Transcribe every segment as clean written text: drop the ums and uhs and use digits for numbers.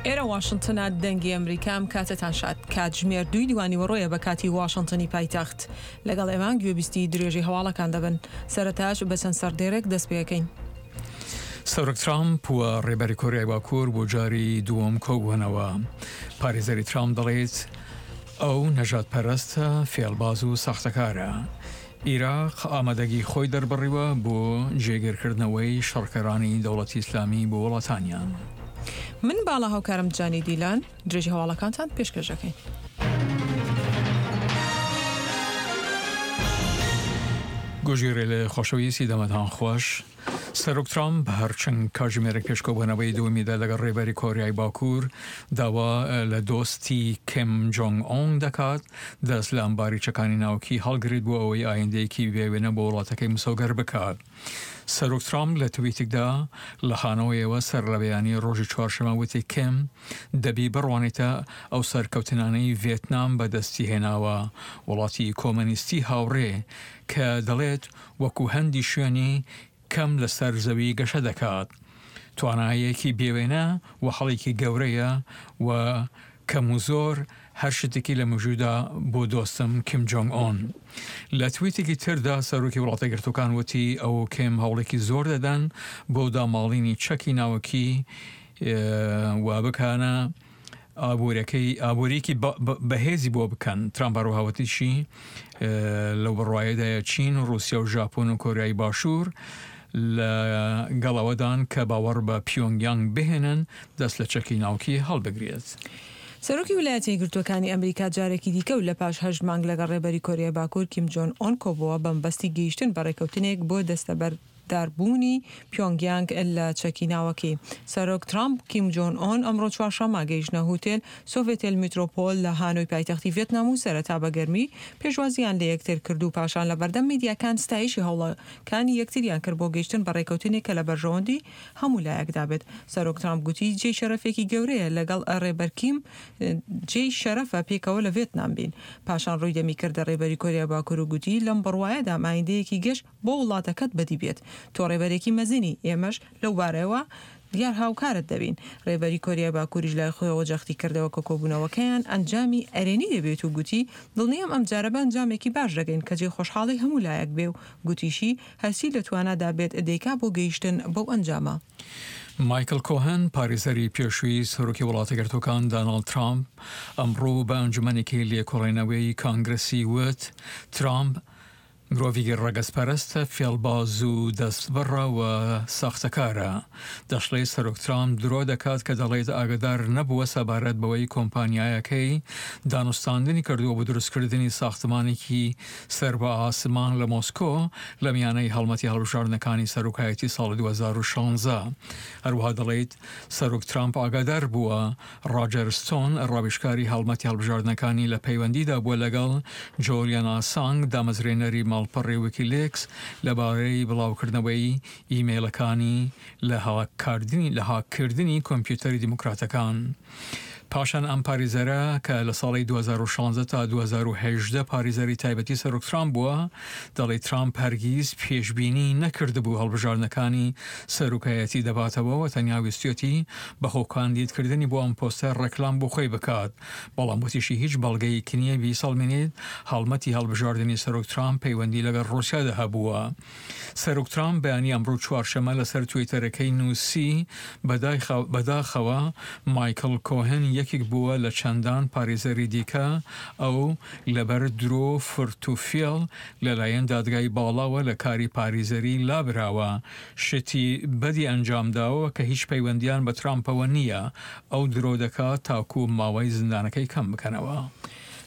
ئێرە واشنتنە دەنگی ئەمریکا ئەم کاتەتان شاد کاتژمێر دووی دوانیوەڕۆیە بە کاتی واشنتنی پایتەخت لەگەڵ ئێمە گوێبیستی درێژەی هەواڵەکان دەبن سەرەتاش بە چەند سەردێرێک دەست پێەکەین. سەرۆک ترامپ و ڕێبەری کۆریای باکوور بۆ جاری دووەم کۆبوونەوە. پارێزەری ترامپ دەڵێت ئەو نەژادپەرستە، فێڵباز و ساختەکارە. ئیراق ئامادەگی خۆی دەربڕیوە بۆ جێگیرکردنەوەی شەڕکەرانی دەوڵەتی ئیسلامی بۆ وڵاتانیان. من باڵا هاوکارم جانی دیلان درێژی هەواڵەکانتان پێشکەش دەکەین. گۆژی رێلێ خۆشەویستی دەمتان خۆش. سەرۆک ترامپ هەر چەند کاتژمێرێک پێش کۆبوونەوەی دووەمیدا لەگەڵ ڕێبەری کۆریای باکوور داوا لە دۆستی کیم جۆنگ ئۆن دەکات دەست لە ئەمباری چەکانی ناوکی هەڵگرێت بۆ ئەوەی ئایندەیەکی بێ وێنە بۆ وڵاتەکەی مسۆگەر بکات. سەرۆک ترامپ لە تویتێکدا لە هانۆیەوە سەرلەبەیانی ڕۆژی چوارشەممە وتی کیم دەبی بڕوانێتە ئەو سەرکەوتنانەی ڤێتنام بەدەستی هێناوە، وڵاتی کۆمەنیستی هاوڕێ کە دەڵێت وەکو هەندی شوێنی کەم لەسەر زەوی گەشە دەکات. توانایەکی بێوێنە و هەڵێکی گەورەیە و کەم و زۆر هەر شتێکی لە مێژوودا بۆ دۆستم کیم جۆنگ ئۆن. لە تویتێکی تردا سەرۆکی وڵاتەیەکگرتووەکان وتی ئەو و کیم هەوڵێکی زۆر دەدەن بۆ داماڵینی چەکی ناوەکی و بکانە ئابوورەکەی ئابووریەکی بەهێزی بۆ بکەن. ترامپ هەروەها وتیشی لەو بڕوایەدایە چین و ڕووسیا و ژاپۆن و کۆریای باشوور لە گەڵ ئەوەدان کە باوەڕ بە پیۆنگ یانگ بهێنن دەست لە چەکی ناوکی هەڵبگرێت. سەرۆکی ویلایەتە یەکگرتووەکانی ئەمریکا جارێکی دیکە و لە پاش هەشت مانگ لەگەڵ ڕێبەری کۆریای باکوور کیم جۆن ئۆن کۆبۆوە بەمەبەستی گەیشتن بە ڕێککەوتنێک بۆ دەستەبەر داربوونی پیۆنگیانگ لە چەکی ناوەکی. سەرۆک ترامپ و کیم جۆن ئۆن ئەمڕۆ چوارشەممە گەیشتنە هوتێل سۆڤێتێل میترۆپۆل لە هانۆی پایتەختی ڤێتنام و سەرەتا بە گەرمی پێشوازییان لە یەکتر کرد و پاشان لە بەردەم میدیاکان ستایشی هەوڵەکانی یەکتریان کرد بۆ گەیشتن بە ڕێکەوتنێک کە لە بەرژەوەندی هەموو لایەکدا بێت. سەرۆک ترامپ گوتی جێی شەرەفێکی گەورەیە لەگەڵ ڕێبەر کیم جێی شەرەفە پێکەوە لە ڤێتنام بین. پاشان ڕووی دەمی کردە ڕێبەری کۆریای باکوور و گوتی لەم بڕوایەدام ئایندەیەکی گەش بۆ وڵاتەکەت بەدی بێت. تۆ ڕێبەرێکی مەزنی، ئێمەش لەو بارەیەوە دیار هاوکارت دەبین. ڕێبەری کۆریای باکووریش لای خۆیەوە جەختی کردەوە کە کۆبوونەوەکەیان ئەنجامی ئەرێنی دەبێت و گوتی، دڵنیام ئەمجارە بە ئەنجامێکی باش دەگەین کە جێی خۆشحاڵی هەموو لایەک بێ و گوتیشی، هەرچی لە توانادا بێت دەیکا بۆ گەیشتن بەو ئەنجامە. مایکڵ کۆهن، پارێزەری پێشووی سەرۆکی وڵاتەیەکگرتووەکان داناڵد ترامپ، ئەمڕۆ بە ئەنجومەنێکی لێکۆڵینەوەی کانگرسی وت، ترامپ مرۆڤێکی ڕەگەزپەرستە، فێڵباز و دەستبڕە و ساختەکارە. دەشڵێت سەرۆک ترامپ درۆ دەکات کە دەڵێت ئاگادار نەبووە سەبارەت بەوەی کۆمپانیایەکەی دانوستاندنی کردووە بۆ دروستکردنی ساختمانێکی سەر بە ئاسمان لە مۆسکۆ لە میانەی هەڵمەتی هەڵبژاردنەکانی سەرۆکایەتی ساڵی 2016. هەروەها دەڵێت سەرۆک ترامپ ئاگادار بووە ڕاجەر ستۆن، ڕاوێژکاری هەڵمەتی هەڵبژاردنەکانی لە پەیوەندیدا بووە لەگەڵ جۆلیان ئاسانگ، دامەزرێنەری ماڵپەڕی ویکیلیکس لەبارەی بڵاوکردنەوەی ئیمەیڵەکانی لە هاککردنی کۆمپیوتەری دیموکراتەکان. پاشان ئەم پاریزەرە کە لە ساڵی 2016 تا 2018 پاریزەری تایبەتی سەرۆک ترامپ بووە، دەڵێت ترامپ هەرگیز پێشبینی نەکردبوو هەڵبژاردنەکانی سەرۆکایەتی دەباتەوە و تەنیا ویستویەتی بە خۆکاندیدکردنی بۆ ئەم پۆستە ڕێکلام بۆ خۆی بکات، بەڵام وتیشی هیچ بەڵگەیەک نییە بیسەڵمێنێت هەڵمەتی هەڵبژاردنی سەرۆک ترامپ پەیوەندی لەگەڵ ڕووسیادا هەبووە. سەرۆک ترامپ بەیانی ئەمڕۆ چوارشەممە لەسەر تویتەرەکەی نووسی، بەداخەوە مایکڵ کۆهن یەکێک بووە لە چەندان پارێزەری دیکە، ئەو لەبەر درۆ و فرت و فێڵ لەلایەن دادگای باڵاوە لە کاری پاریزەری لابراوە، شتی بەدی ئەنجامداوە کە هیچ پەیوەندیان بە ترامپەوە نییە، ئەو درۆ دەکات تاکو ماوەی زیندانەکەی کەم بکەنەوە.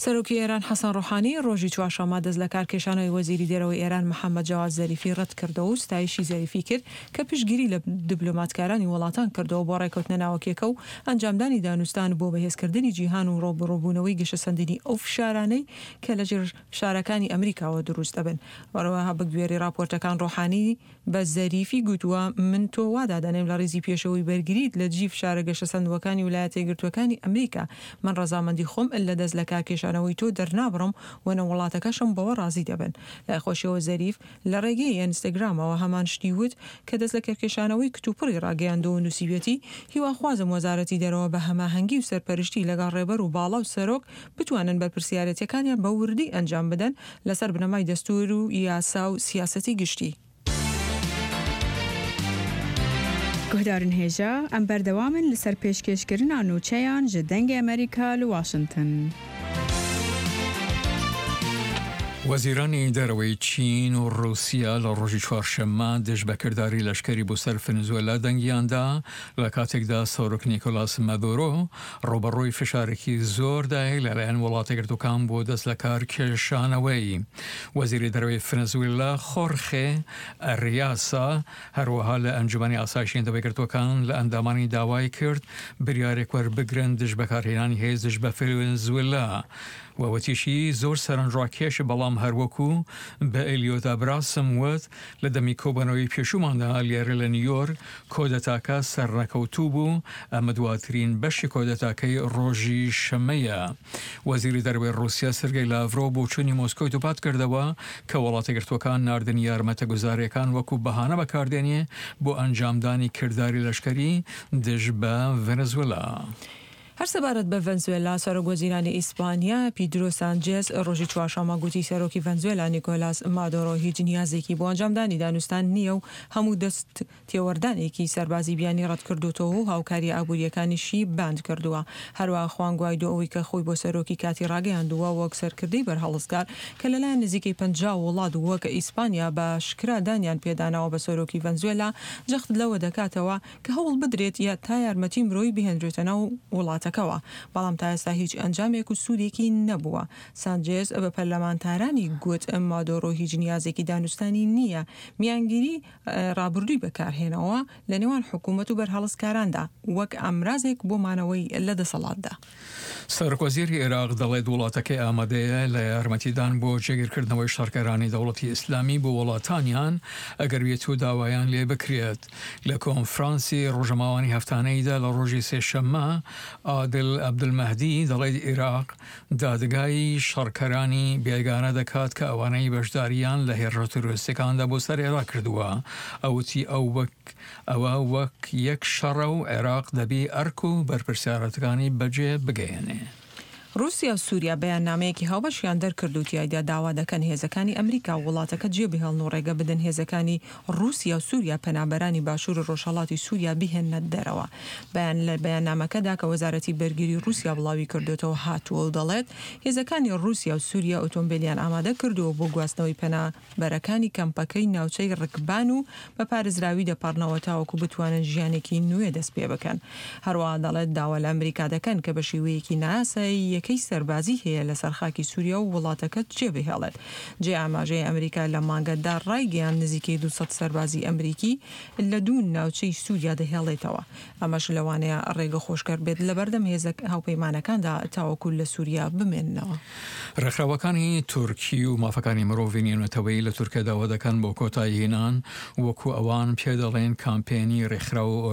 سەرۆکی ئێران حەسەن ڕۆحانی ڕۆژی چوارشەممە دەست لەکارکێشانەوەی وەزیری دەرەوەی ئێران محەمەد جەواد زەریفی ڕەتکردەوە و ستایشی زەریفی کرد کە پشتگیری لە دبلۆماتکارانی وڵاتان کردەوە بۆ ڕێکەوتنە ناوەکیەکە و ئەنجامدانی دانوستان بۆ بەهێزکردنی جیهان و ڕووبەڕووبوونەوەی گەشەسەندنی ئەو فشارانەی کە لەژێر فشارەکانی ئەمریکاوە دروست دەبن. هەروەها بەگوێرەی ڕاپۆرتەکان ڕۆحانی بە زەریفی گوتووە، من تۆ وا دادەنێم لە ڕیزی پێشەوەی بەرگریت لە دژی فشارە گەشەسەندووەکانی ولایەتە یەکگرتووەکانی ئەمریکا. من ڕەزامەندی خۆم لە دەست لەکارکێشانەوەی. لەکارکێشانەوەی تۆ دەرنابڕم و نە وڵاتەکەشم بەوە ڕازی دەبن. لای خۆشیەوە زەریف لە ڕێگەی ئینستاگرامەوە هەمان شتی وت کە دەستلەکارکێشانەوەی کتوپڕی ڕاگەیاندووە و نووسیویەتی، هیواخوازم وەزارەتی دەرەوە بە هەماهەنگی و سەرپەرشتی لەگەڵ ڕێبەر و باڵا و سەرۆک بتوانن بەرپرسیارێتیەکانیان بە وردی ئەنجام بدەن لەسەر بنەمای دەستوور و یاسا و سیاسەتی گشتی. Guhdarên hêja, em berdewam in li ser pêşkêşkirina nûçeyan ji Dengê Amerîka li Washington. وەزیرانی دەرەوەی چین و ڕووسیا لە ڕۆژی چوارشەممە دژ بە کرداری لەشکری بۆ سەر فنزوێلا دەنگیان دا، لە کاتێکدا سەرۆک نیکۆلاس مادورۆ ڕووبەڕووی فشارێکی زۆردایە لەلایەن وڵاتەیەکگرتووەکان بۆ دەست لەکار کێشانەوەی. وەزیری دەرەوەی فنزوێلا خۆرخێ ئەریاسا هەروەها لە ئەنجومەنی ئاسایشی نەتەوەیەکگرتووەکان لە ئەندامانی داوای کرد بریارێک وەربگرن دژ بەکارهێنانی هێز دژ بە فنزوێلا و وتیشی زۆر سەرنجڕاکێشە بەڵام هەروەکو بە ئێلیۆت ئابراسم وت لە دەمی کۆبوونەوەی پێشووماندا لێرە لە نیویۆرک کۆدەتاکە سەرنەکەوتوو بوو، ئەمە دواترین بەشی کۆدەتاکەی ڕۆژی شەممەیە. وەزیری دەرەوەی ڕووسیا سێرگەی لاڤرۆڤ بۆچوونی مۆسکۆی دووپات کردەوە کە وڵاتەیەکگرتووەکان ناردنی یارمەتە گوزارییەکان وەکو بەهانە بەکاردێنێ بۆ ئەنجامدانی کرداری لەشکەری دژ بە ڤەنەزوێلا. هەر سەبارەت بە ڤەنزوێلا، سەرۆک وەزیرانی ئیسپانیا، پیدرۆ سانجێز، ڕۆژی چوارشەممە گوتی سەرۆکی ڤەنزوێلا نیکۆلاس مادۆرۆ هیچ نیازێکی بۆ ئەنجامدانی دانوستان نییە و هەموو دەست تێوەردانێکی سەربازی بیانی ڕەتکردۆتەوە و هاوکارییە ئابوورییەکانیشی باند کردووە. هەروەها خوان گوایدۆ ئەوەی کە خۆی بۆ سەرۆکی کاتی ڕاگەیاندووە وەک سەرکردەی بەرهەڵستکار کە لەلایەن نزیکەی 50 وڵات وەک ئیسپانیا بە ئاشکرا دانیان پێداناوە بە سەرۆکی ڤەنزوێلا جەخت لەوە دەکاتەوە کە هەوڵ بدرێت یا تا یارمەتی مرۆیی بهێنرێتە ناو وڵاتەکەوە، بەڵام تا ئێستا هیچ ئەنجامێک و سوودێکی نەبووە. سانجێز بە پەرلەمانتارانی گوت، مادۆرۆ هیچ نیازێکی دانوستانی نییە، میانگیری ڕابردووی بەکارهێنەوە لە نێوان حکوومەت و بەرهەڵستکاراندا وەک ئامرازێک بۆ مانەوەی لە دەسەڵاتدا. سەرۆکوەزیری عێراق دەڵێت، وڵاتەکەی ئامادەیە لە یارمەتیدان بۆ جێگیرکردنەوەی شەڕکەرانی دەوڵەتی ئیسلامی بۆ وڵاتانیان ئەگەر بێتو داوایان لێ بکرێت. لە کۆنفرانسی ڕۆژەماوانی هەفتانەیدا لە ڕۆژی سێشەممە عادل عەبدولمەهدی دەڵێت، عێراق دادگای شەڕکەرانی بێگانە دەکات کە ئەوانەی بەشدارییان لە هێرشە تیرۆریستیەکاندا بۆ سەر عێراق کردووە. ئەو وتی، ئەو وەک ئەوە وەک یەک شەڕە و عێراق دەبی ئەرک و بەرپرسیارەتەکانی بەجێ بگەیەنێ. ڕووسیا و سووریا بەیاننامەیەکی هاوبەشیان دەرکرد و تیایدا داوا دەکەن هێزەکانی ئەمریکا وڵاتەکە جێبهێڵن و ڕێگە بدەن هێزەکانی ڕووسیا و سووریا پەنابەرانی باشوور و ڕۆژهەڵاتی سووریا بهێننە دەرەوە. بەیان لە بەیاننامەکەدا کە وەزارەتی بەرگری ڕووسیا بڵاوی کردۆتەوە هاتووە و دەڵێت، هێزەکانی ڕووسیا و سووریا ئۆتۆمبێلیان ئامادە کردووە بۆ گواستنەوەی پەنابەرەکانی کەمپەکەی ناوچەی ڕکبان و بە پارێزراوی دەپەڕنەوە تاوەکو بتوانن ژیانێکی نوێ دەست پێبکەن. هەروەها دەڵێت داوا لە ئەمریکا دەکەن کە بە شێوەیەکی نایاسایی یەکەی سەربازی هەیە لەسەر خاکی سووریا و وڵاتەکە جێبهێڵێت. جێی ئاماژەیە ئەمریکا لەم مانگەدا ڕایگەیاند نزیکەی 200 سەربازی ئەمریکی لە دوو ناوچەی سووریا دەهێڵێتەوە، ئەمەش لەوانەیە ڕێگە خۆشکەر بێت لەبەردەم هێزە هاوپەیمانەکاندا تاوەکو لە سووریا بمێننەوە. ڕێکخراوەکانی تورکی و مافەکانی مرۆڤی نێونەتەوەیی لە تورکیا داوا دەکەن بۆ کۆتاییهێنان وەکو ئەوان پێ دەڵێن کامپێنی ڕێکخراو و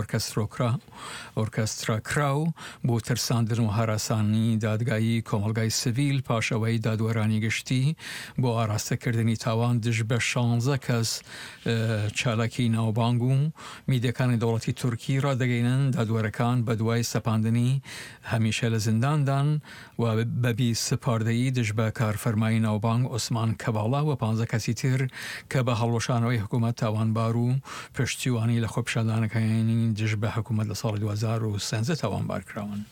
ئۆرکەستراکراو بۆ ترساندن و هەراسانی دادگایی کۆمەڵگای سڤیل پاش ئەوەی دادوەرانی گشتی بۆ ئاراستەکردنی تاوان دژ بە شانزە کەس چالاکی ناوبانگ و میدیاکانی دەوڵەتی تورکی ڕادەگەینن دادوەرەکان بەدوای سەپاندنی هەمیشە لە زینداندان و بەبی سپاردەیی دژ بە کارفەرمای ناوبانگ عوسمان کەڤاڵا و پانزە کەسی تر کە بە هەڵوەشانەوەی حکوومەت تاوانبار و پشتیوانی لە خۆپیشاندانەکانی دژ بە حکوومەت لە ساڵی 2013 تاوانبار کراون.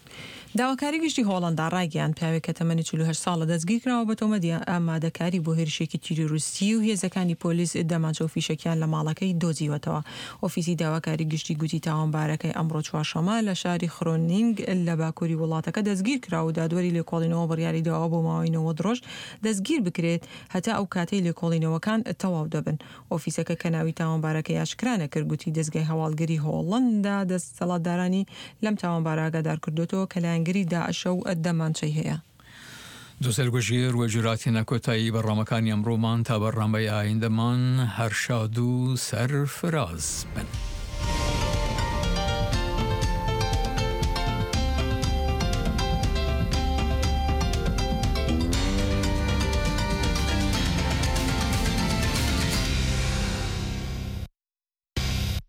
داواکاری گشتی هۆڵەندا ڕایگەیاند، پیاوێک کە تەمەنی 48 ساڵە دەستگیرکراوە بە تۆمەتی ئامادەکاری بۆ هێرشێکی تیرۆریستی و هێزەکانی پۆلیس دەمانچە و فیشەکیان لە ماڵەکەی دۆزیوەتەوە. ئۆفیسی داواکاری گشتی گوتی تاوانبارەکەی ئەمڕۆ چوارشەممە لە شاری خرۆنینگ لە باکووری وڵاتەکە دەستگیرکرا و دادوەری لێکۆڵینەوە بڕیاری داوە بۆ ماوەی 90 ڕۆژ دەستگیر بکرێت هەتا ئەو کاتەی لێکۆڵینەوەکان تەواو دەبن. ئۆفیسەکە کە ناوی تاوانبارەکەی ئاشکرا نەکرد گوتی دەزگای هەواڵگری هۆڵەندا دەسەڵاتدارانی لەم تاوانبارە ئاگادار کردۆتەوە کە لایەنگری داعشە و دەمانچەی هەیە. دوسەر گوژیر و جوراتینە کۆتایی بەڕنامەکانی ئەمڕۆمان تا بەڕنامەی ئایندەمان هەر شاد و سەرفراز بن.